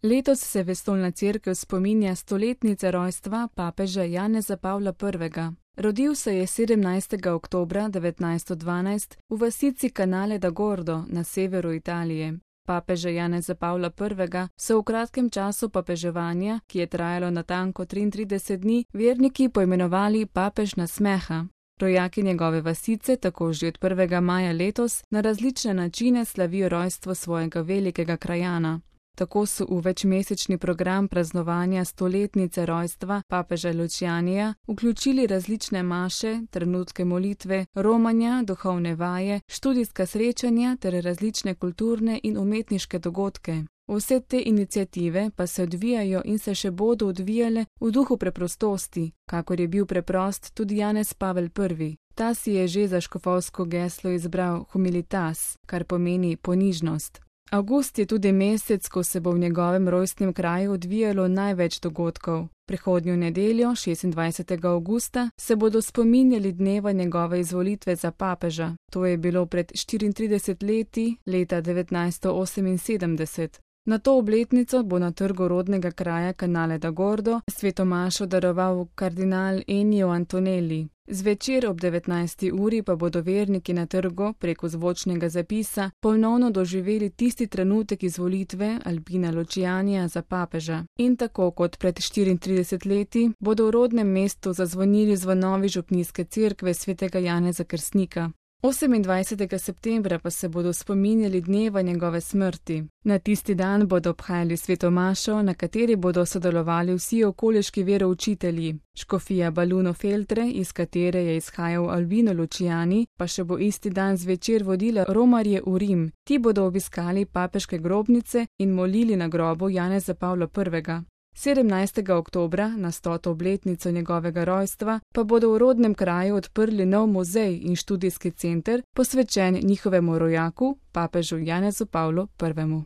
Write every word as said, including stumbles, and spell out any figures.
Letos se Vesoljna cerkev spominja stoletnice rojstva papeža Janeza Pavla prvega. Rodil se je sedemnajstega oktobra devetnajststo dvanajst v vasici Canale da Gordo na severu Italije. Papeža Janeza Pavla prvega so v kratkem času papeževanja, ki je trajalo natanko triintrideset dni, verniki poimenovali papež nasmeha. Rojaki njegove vasice tako že od prvega maja letos na različne načine slavijo rojstvo svojega velikega krajana. Tako so v večmesečni program praznovanja stoletnice rojstva papeža Lucianija vključili različne maše, trenutke molitve, romanja, duhovne vaje, študijska srečanja ter različne kulturne in umetniške dogodke. Vse te iniciative pa se odvijajo in se še bodo odvijale v duhu preprostosti, kakor je bil preprost tudi Janez Pavel prvi. Ta si je že za škofovsko geslo izbral humilitas, kar pomeni ponižnost. Avgust je tudi mesec, ko se bo v njegovem rojstnem kraju odvijalo največ dogodkov. Prihodnjo nedeljo, šestindvajsetega avgusta, se bodo spominjali dneva njegove izvolitve za papeža. To je bilo pred štiriintridesetimi leti, leta devetnajststo oseminsedemdeset. Na to obletnico bo na trgu rodnega kraja Canale da Gordo sveto mašo daroval kardinal Ennio Antonelli. Zvečer ob devetnajsti uri pa bodo verniki na trgu preko zvočnega zapisa ponovno doživeli tisti trenutek izvolitve Albina Lucianija za papeža. In tako kot pred štiriintridesetimi leti bodo v rodnem mestu zazvonili zvonovi župnijske cerkve svetega Janeza Krstnika. osemindvajsetega septembra pa se bodo spominjali dneva njegove smrti. Na tisti dan bodo obhajali sveto mašo, na kateri bodo sodelovali vsi okoliški veroučitelji. Škofija Baluno Feltre, iz katere je izhajal Albino Luciani, pa še bo isti dan zvečer vodila romarje v Rim. Ti bodo obiskali papeške grobnice in molili na grobu Janeza Pavla prvega. sedemnajstega oktobra, na stoto obletnico njegovega rojstva, pa bodo v rodnem kraju odprli nov muzej in študijski center, posvečen njihovemu rojaku, papežu Janezu Pavlu prvemu.